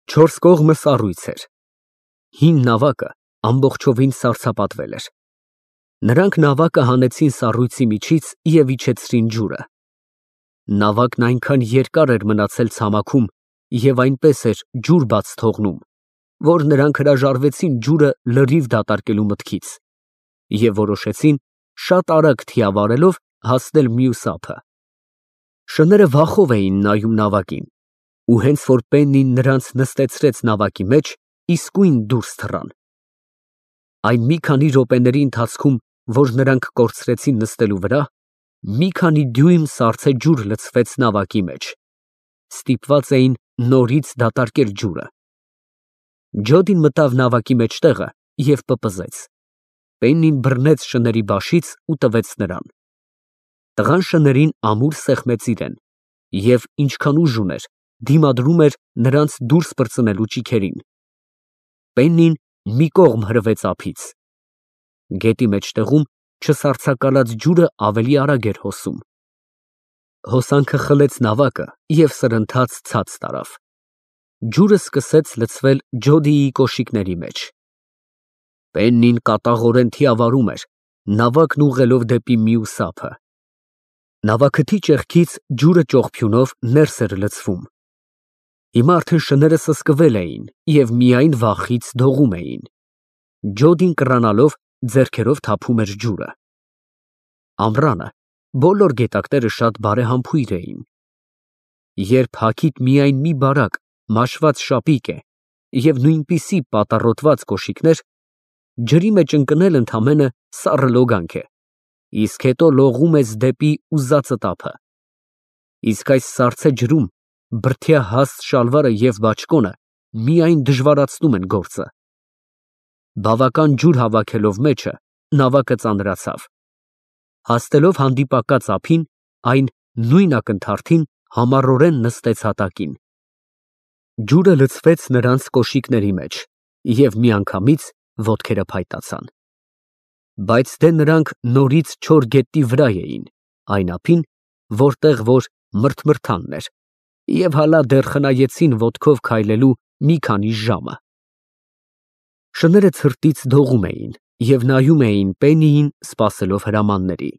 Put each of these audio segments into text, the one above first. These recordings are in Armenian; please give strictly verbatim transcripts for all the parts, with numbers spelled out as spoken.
Չորս կողմը սառույց էր։ Հին նավակը ամբողջովին սառցապատվել էր։ Նրանք նավակը հանեցին սառույցի միջից և իջեցրին ջուրը։ Նավակն այնքան երկար էր մնացել ցամաքում և այնպես էր ջուր բաց թողնում, որ նրանք հրաժարվեցին ջուրը լրիվ դատարկելու մտքից և որոշեցին շատ արագ թիավարելով հասնել մյուս ափը։ Շները վախով էին նայում նավակին, ու հենց որ Պեննին նրանց նստեցրեց նավակի մեջ, իսկույն դուրս թռան։ Այն մի քանի րոպեների ընթացքում, որ նրանք կորցրեցին նստելու վրա, մի քանի դյույմ սառցե ջուր լցվեց նավակի մեջ, ստիպված էին նորից դատարկել ջուրը։ Ջոդին մտավ նավակի մեջտեղը և պպզեց։ Պեննին բռնեց շների բաշից ու տվեց նրան։ Տղան շներին ամուր սեղմեց իրան և, ինչքան ուժ ուներ, դիմադրում էր նրանց դուրս պրծնելու ճիգերին։ Պեննին մի կողմ հրվեց ափից։ Գետի մեջտեղում չսառցակալած ջուրը ավելի արագ էր հոսում։ Հոսանքը խլեց նավակը և սրընթաց ցած տարավ։ Ջուրը սկսեց լցվել Ջոդիի կոշիկների մեջ։ Պեննին կատաղորեն թիավարում էր, նավակն ուղղելով դեպի մյուս ափը։ Նավաքթի ճեղքից ջուրը ճողփյունով ներս էր լցվում։ Հիմա արդեն շները սսկվել էին և միայն վախից դողում էին։ Ջոդին կռանալով ձեռքերով թափում էր ջուրը։ Ամռանը բոլոր գետակները շատ բարեհամբույր էին։ Երբ հագիդ միայն մի բարակ մաշված շապիկ է և նույնպիսի պատառոտված կոշիկներ, ջրի մեջ ընկնել ընդամենը սառը լոգանք է, իսկ հետո լողում ես դեպի ուզածդ ափը։ Իսկ այս սառցե ջրում բրդյա հաստ շալվարը և բաճկոնը միայն դժվարացնում են գործը։ Բավական ջուր հավաքելով մեջը, նավակը ծանրացավ։ Հասնելով հանդիպակաց ափին, այն նույն ակնթարթին համառորեն նստեց հատակին։ Ջուրը լցվեց նրանց կոշիկների մեջ, և միանգամից ոտքերը փայտացան։ Բայց դե նրանք նորից չոր գետնի վրա էին, այն ափին, որտեղ որ մրթմրթանն էր, և հալա դեռ խնայեցին ոտքով քայլելու մի քանի ժամը։ Շները ցրտից դողում էին և նայում էին Պեննիին սպասելով հրամանների,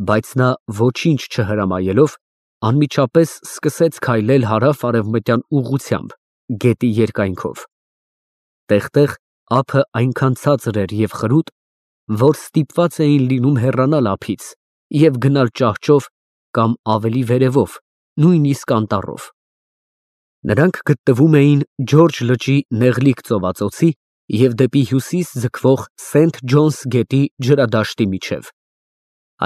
բայց նա ոչինչ չհրամայելով, անմիջապես սկսեց քայլել հարավ֊արևմտյան ուղղությամբ գետի երկայնքով։ Տեղ֊տեղ ափը այնքան ցածր էր և խրուտ, որ ստիպված էին լինում հեռանալ ափից և գնալ ճահճով կամ ավելի վերևով, նույնիսկ անտառով։ Նրանք գտնվում էին Ջորջ լճի նեղլիկ ծովածոցի և դեպի հյուսիս ձգվող Սենթ Ջոնս գետի ջրադաշտի միջև։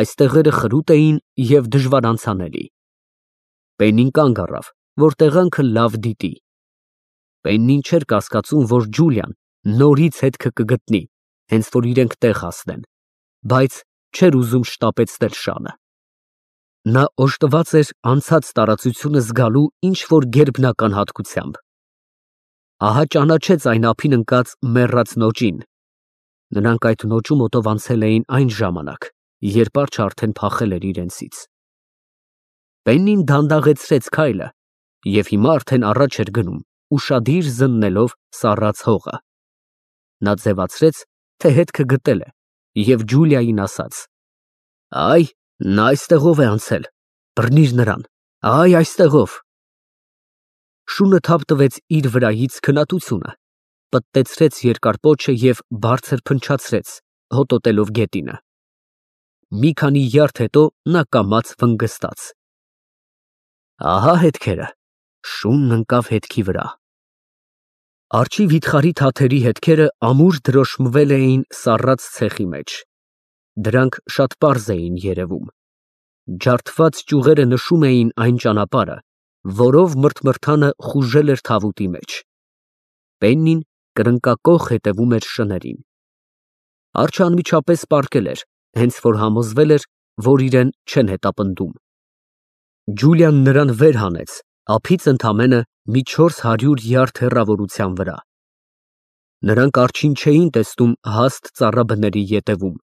Այս տեղերը խրուտ էին և դժվար անցանելի։ Պեննին կանգ առավ, որ տեղանքը լավ դիտի։ Պեննին չէր կասկածում, որ Ջուլիան նորից հետքը կգտնի, հենց որ իրենք տեղ հասնեն, բայց չէր ուզում շտապեցնել շանը։ Նա օժտված էր անցած տարածությունը զգալու ինչ֊որ գերբնական հատկությամբ։ Ահա ճանաչեց այն ափին ընկած մեռած նոճին։ Նրանք այդ նոճու մոտով անցել էին այն ժամանակ, երբ արջը արդեն փախել էր իրենցից։ Պեննին դանդաղեցրեց քայլը և հիմա արդեն առաջ էր գնում, ուշադիր զննելով սառած հողը։ Նա ձևացրեց, թե հետքը գտել է, և Ջուլիային ասաց. «Այ, նա այստեղով է անցել, բռնիր նրան, այ այստեղով»։ Շունը թափ տվեց իր վրայից քնածությունը, պտտեցրեց երկար պոչը և բարձր փնչացրեց, հոտոտելով գետինը։ Մի քանի յարդ հետո նա կամաց վնգստաց. ահա հետքերը, շունն ընկավ հետքի վրա։ Արջի վիթխարի թաթերի հետքերը ամուր դրոշմվել էին սառած ցեխի մեջ։ Դրանք շատ պարզ էին երևում։ Ջարդված ճյուղերը նշում էին այն ճանապարհը, որով մրթմրթանը խուժել էր թավուտի մեջ։ Պեննին կրկնակոխ հետևում էր շներին։ Արջը անմիջապես պառկել էր, հենց որ համոզվել էր, որ իրեն չեն հետապնդում։ Ջուլիան նրան վեր հանեց ափից ընդամենը մի չորս հարյուր յարդ հեռավորության վրա։ Նրանք արջին չէին տեսնում հաստ ծառաբների ետևում,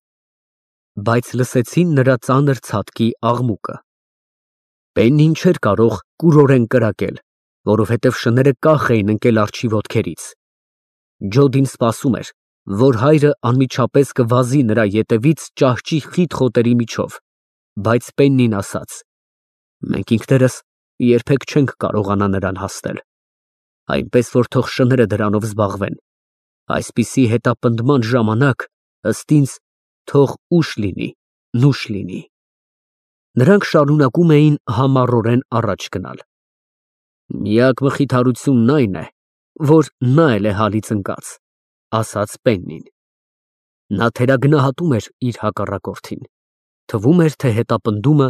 բայց լսեցին նրա ծանր ցատկի աղմուկը։ Պեննին չէր կարող կուրորեն կրակել, որովհետև շները կախ էին ընկել արջի ոտքերից։ Ջոդին սպասում էր, որ հայրը անմիջապես կվազի նրա ետևից ճահճի խիտ խոտերի միջով, բայց Պեննին ասաց. «Մենք ինքներս երբեք չենք կարողանա նրան հասնել, այնպես որ թող շները դրանով զբաղվեն, այսպիսի հետապնդման ժամանակ, ըստ ինձ, թող ուշ լինի, նուշ լինի»։ Նրանք շարունակում էին համառորեն առաջ գնալ։ «Միակ մխիթարությունն այն է, որ նա էլ է հալից ընկած», ասաց Պեննին։ Նա թերագնահատում էր իր հակառակորդին, թվում էր, թե հետապնդումը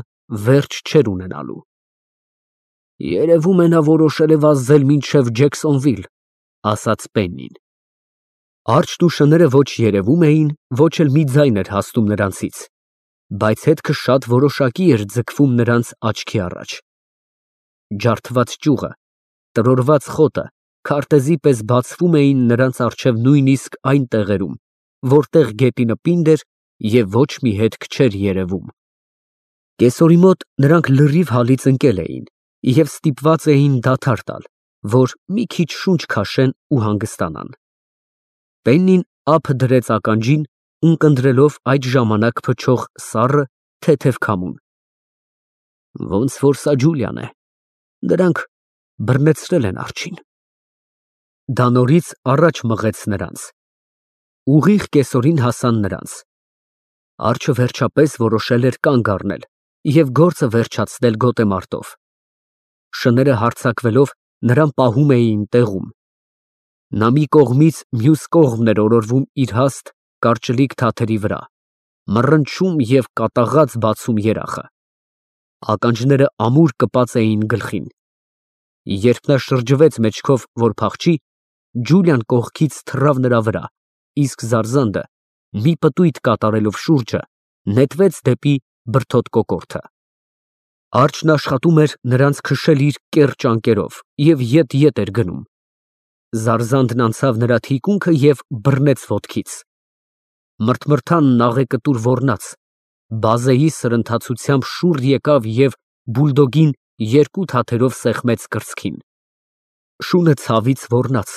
վերջ չէր ունենալու։ «Երևում է նա որոշել է վազել մինչև Ջեքսոնվիլ», ասաց Պեննին։ Արջն ու շները ոչ երևում էին, ոչ էլ մի ձայն էր հասնում նրանցից, բայց հետքը շատ որոշակի էր ձգվում նրանց աչքի առաջ։ Ջարդված ճյուղը, տրորված խոտը քարտեզի պես բացվում էին նրանց առջև նույնիսկ այն տեղերում, որտեղ գետինը պինդ էր և ոչ մի հետք չէր երևում։ Կեսօրի մոտ նրանք լրիվ հալից ընկել էին և ստիպված էին դադար տալ, որ մի քիչ շունչ քաշեն ու հանգստանան։ Պեննին ափը դրեց ականջին, ունկնդրելով այդ ժամանակ փչող սառը, թեթև քամուն։ Ոնց որ սա Ջուլիան է, դրանք բռնեցրել են արջին։ Դա նորից առաջ մղեց նրանց։ Ուղիղ կեսօրին հասան նրանց։ Արջը վերջապես որոշել էր կանգ առնել և գործը վերջացնել գոտեմարտով։ Շները հարձակվելով նրան պահում էին տեղում։ Նա մի կողմից մյուս կողմն էր օրորվում իր հաստ, կարճլիկ թաթերի վրա, մռնչում և կատաղած բացում երախը։ Ականջները ամուր կպած էին գլխին։ Երբ նա շրջվեց մեջքով, որ փախչի, Ջուլիան կողքից թռավ նրա վրա, իսկ Զարզանդը, մի պտույտ կատարելով շուրջը, նետվեց դեպի բրդոտ կոկորդը։ Արջն աշխատում էր նրանց քշել իր կեռ ճանկերով և ետ֊ետ էր գնում։ Զարզանդն անցավ նրա թիկունքը և բռնեց ոտքից։ Մրթմրթան աղեկտուր ոռնաց, բազեի սրընթացությամբ շուռ եկավ և բուլդոգին երկու թաթերով սեղմեց կրծքին։ Շունը ցավից ոռնաց,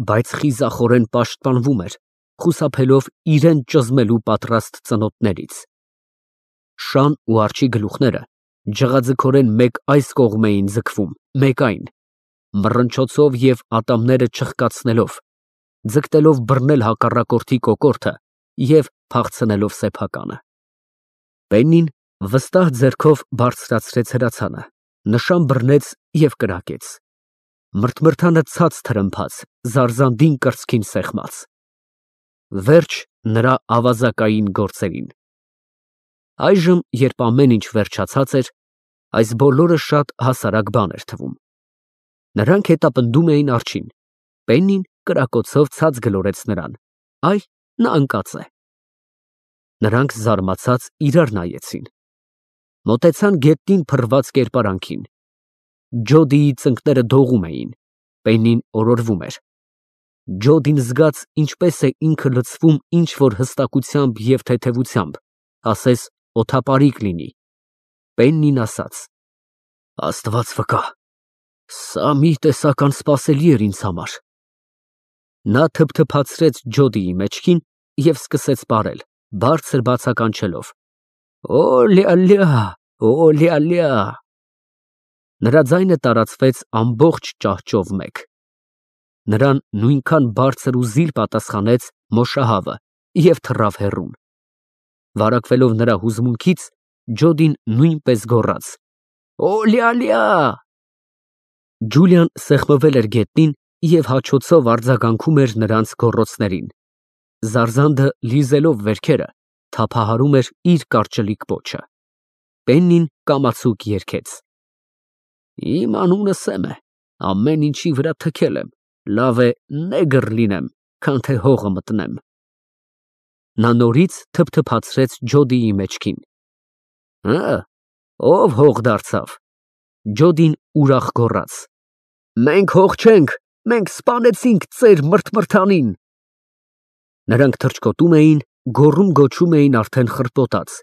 բայց խիզախորեն պաշտպանվում էր, խուսափելով իրան ճզմելու պատրաստ ծնոտներից։ Շան ու արջի գլուխները ջղաձգորեն մեկ այս կողմ էին ձգվում, մեկ այն, մռնչոցով և ատամները չխկացնելով, ձգտելով բռնել հակառակորդի կոկորդը և փախցնելով սեփականը։ Պեննին վստահ ձեռքով բարձրացրեց հրացանը, նշան բռնեց և կրակեց։ Մրթմրթանը ցած թրմփաց, Զարզանդին կրծքին սեղմաց։ Վերջ նրա ավազակային գործերին։ Այժմ, երբ ամեն ինչ վերջացած էր, այս բոլորը շատ հասարակ բան էր թվում։ Նրանք հետապնդում էին արջին։ Պեննին կրակոցով ցած գլորեց նրան։ Այ, նա ընկած է։ Նրանք զարմացած իրար նայեցին։ Մոտեցան գետնին փռված կերպարանքին։ Ջոդիի ծնկները դողում էին, Պեննին օրորվում էր։ Ջոդին զգաց ինչպես է ինքը լցվում ինչ֊որ հստակությամբ և թեթևությամբ, ասես օդապարիկ լինի։ Պեննին ասաց. «Աստված վկա, սա մի տեսակ անսպասելի էր ինձ համար»։ Նա թփթփացրեց Ջոդիի մեջքին և սկսեց պարել, բարձր բացականչելով. «Օ լյա֊լյա, օ լյա֊լյա»։ Նրա ձայնը տարածվեց ամբողջ ճահճով մեկ։ Նրան նույնքան բարձր ու զիլ պատասխանեց մոշահավը և թռավ հեռուն։ Վարակվելով նրա հուզմունքից, Ջոդին նույնպես գոռաց. «Օ լյա֊լյա»։ Ջուլիան սեղմվել էր գետնին և հաչոցով արձագանքում էր նրանց գոռոցներին։ Զարզանդը, լիզելով վերքերը, թափահարում էր իր կարճլիկ պոչը։ Պեննին կամացուկ երգեց. Իմ անունը Սեմ է, ամեն ինչի վրա թքել եմ, լավ է նեգր լինեմ, քան թե հողը մտնեմ։ Նա նորից թփթփացրեց Ջոդիի մեջքին։ Հը, ով հող դարձավ։ Ջոդին ուրախ գոռաց. Մենք հող չենք, մենք սպանեցինք ծեր մրթմրթանին։ Նրանք թռչկոտում էին, գոռում֊գոչում էին արդեն խրպոտած,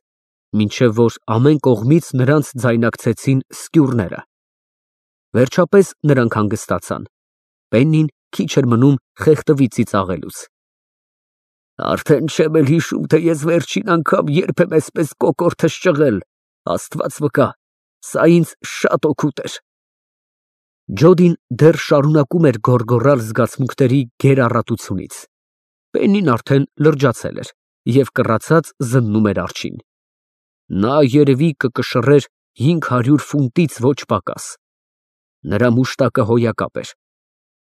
մինչև որ ամեն կողմից նրանց ձայնակցեցին սկյուռները։ Վերջապես նրանք հանգստացան։ Պեննին քիչ էր մնում խեղդվի ծիծաղելուց։ Արդեն չեմ էլ հիշում, թե ես վերջին անգամ երբ եմ այսպես կոկորդս ճղել, Աստված վկա, սա ինձ շատ օգուտ էր։ Ջոդին դեռ շարունակում էր գոռգոռալ զգացմունքների գերառատությունից։ Պեննին արդեն լրջացել էր և կռացած զննում էր արջին։ Նա երևի կկշռեր հինգ հարյուր ֆունտից ոչ պակաս։ Նրա մուշտակը հոյակապ էր։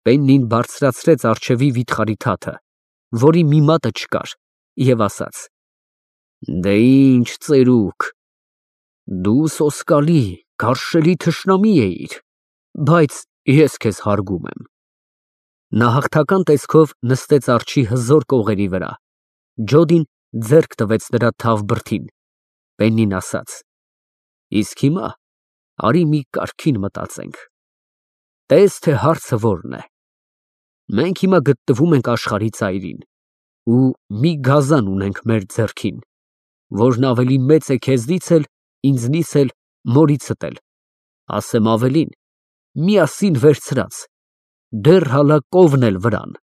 Պեննին բարձրացրեց առջևի վիթխարի թաթը, որի մի մատը չկար, և ասաց. Դե ինչ ծերուկ, դու սոսկալի, գարշելի թշնամի էիր, բայց ես քեզ հարգում եմ։ Նա հաղթական տեսքով նստեց արջի հզոր կողերի վրա։ Ջոդին ձեռք տվեց նրա թավ բրդին։ Պեննին ասաց. Իսկ հիմա արի մի կարգին մտածենք։ Տես, թե հարցը որն է։ Մենք հիմա գտնվում ենք աշխարհի ծայրին ու մի գազան ունենք մեր ձեռքին, որն ավելի մեծ է քեզնից էլ, ինձնից էլ, մորիցդ էլ, ասեմ ավելին, միասին վերցրած, դեռ հալա կովն էլ վրան։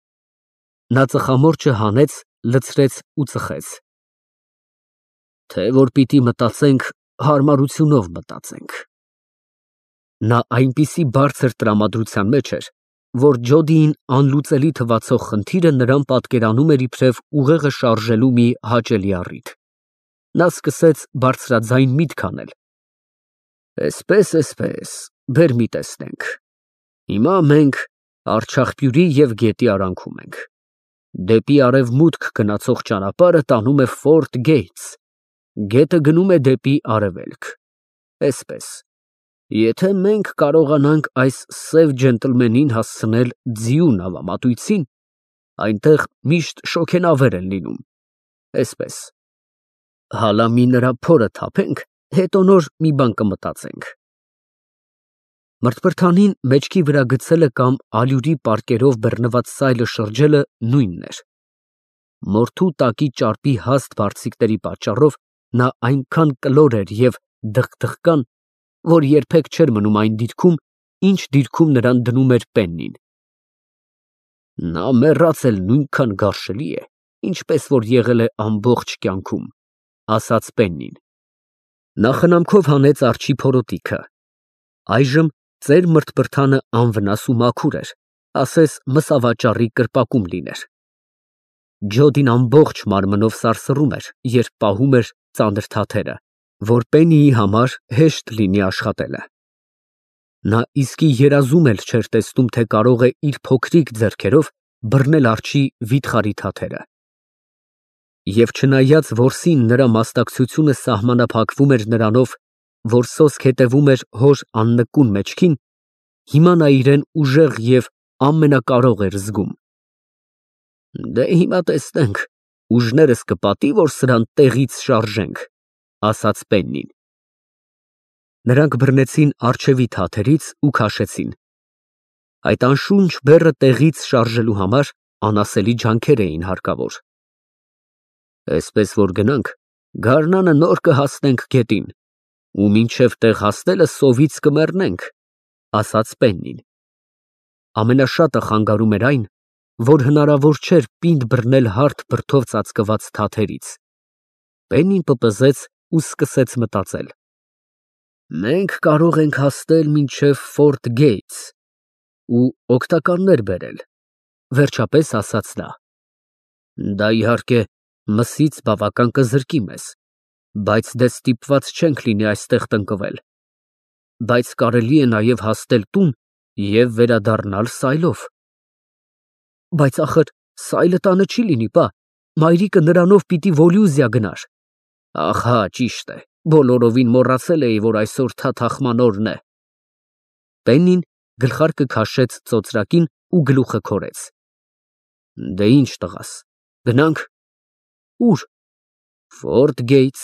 Նա ծխամորճը հանեց, լցրեց ու ծխեց։ Թե որ պիտի մտածենք, հարմարությունով մտածենք։ Նա այնպիսի բարձր տրամադրության մեջ էր, որ Ջոդիին անլուծելի թվացող խնդիրը նրան պատկերանում էր իբրև ուղեղը շարժելու մի հաճելի առիթ։ Նա սկսեց բարձրաձայն միտք անել։ Էսպես, էսպես, բեր մի տեսնենք։ Հիմա մենք Արչախպյուրի և գետի արանքում ենք։ Դեպի արևմուտք գնացող ճանապարհը տանում է Ֆորտ Գեյթս, գետը գնում է դեպի արևելք։ Էսպես, եթե մենք կարողանանք այս սև ջենտլմենին հասցնել ձիու նավամատույցին, այնտեղ միշտ շոգենավեր են լինում, էսպես, հալա մի նրա փորը թափենք, հետո նոր մի բան կմտածենք։ Մրթպրթանին մեջքի վրա գցելը կամ ալյուրի պարկերով բռնված սայլը շրջելը նույնն էր։ Մորթու տակի ճարպի հաստ բարձիկների պատճառով նա այնքան կլոր էր և դղկդղկան, որ երբեք չէր մնում այն դիրքում, ինչ դիրքում նրան դնում էր Պեննին։ Նա մեռած էլ նույնքան գարշելի է, ինչպես որ եղել է ամբողջ կյանքում, ասաց Պեննին։ Նա խնամքով հանեց արջի փորոտիքը։ Այժմ ծեր մրթպրթանը անվնաս ու մաքուր էր, ասես մսավաճառի կրպակում լիներ։ Ջոդին ամբողջ մարմնով սարսռում էր, երբ պահում էր ծանր թաթերը, որ Պեննիի համար հեշտ լինի աշխատելը։ Նա իսկի երազում էլ չէր տեսնում, թե կարող է իր փոքրիկ ձեռքերով բռնել արջի վիթխարի թաթերը։ Եվ չնայած որսին նրա մասնակցությունը սահմանափակվում էր նրանով, որ սոսկ հետևում էր հոր աննկուն մեջքին, հիմա նա իրեն ուժեղ և ամենակարող էր զգում։ Դե հիմա տեսնենք, ուժներս կպատի, որ սրան տեղից շարժենք, ասաց Պեննին։ Նրանք բռնեցին առջևի թաթերից ու քաշեցին։ Այդ անշունչ բեռը տեղից շարժելու համար անասելի ջանքեր էին հարկավոր։ Այսպես որ գնանք, գարնանը նոր կհասնենք գետին, ու մինչև տեղ հասնելը սովից կմեռնենք, ասաց Պեննին։ Ամենաշատը խանգարում էր այն, որ հնարավոր չէր պինդ բռնել հարթ բրդով ծածկված թաթերից։ Պեննին պպզեց ու սկսեց մտածել։ Մենք կարող ենք հասնել մինչև Ֆորտ Գեյթս ու օգտականներ բերել, վերջապես ասաց նա։ Դա իհարկե մսից բավական կզրկի մեզ, բայց դե ստիպված չենք լինի այստեղ տնկվել, բայց կարելի է նաև հասնել տուն և վերադառնալ սայլով։ Բայց ախր սայլը տանը չի լինի, պա, մայրիկը նրանով պիտի Վոլյուզիա գնար։ Ահա, ճիշտ է, բոլորովին մոռացել էի, որ այսօր թաթախման օրն է։ Պեննին գլխարկը քաշեց ծոծրակին ու գլուխը քորեց։ Դե ինչ տղաս, գնանք։ Ուր։ Ֆորտ Գեյթս,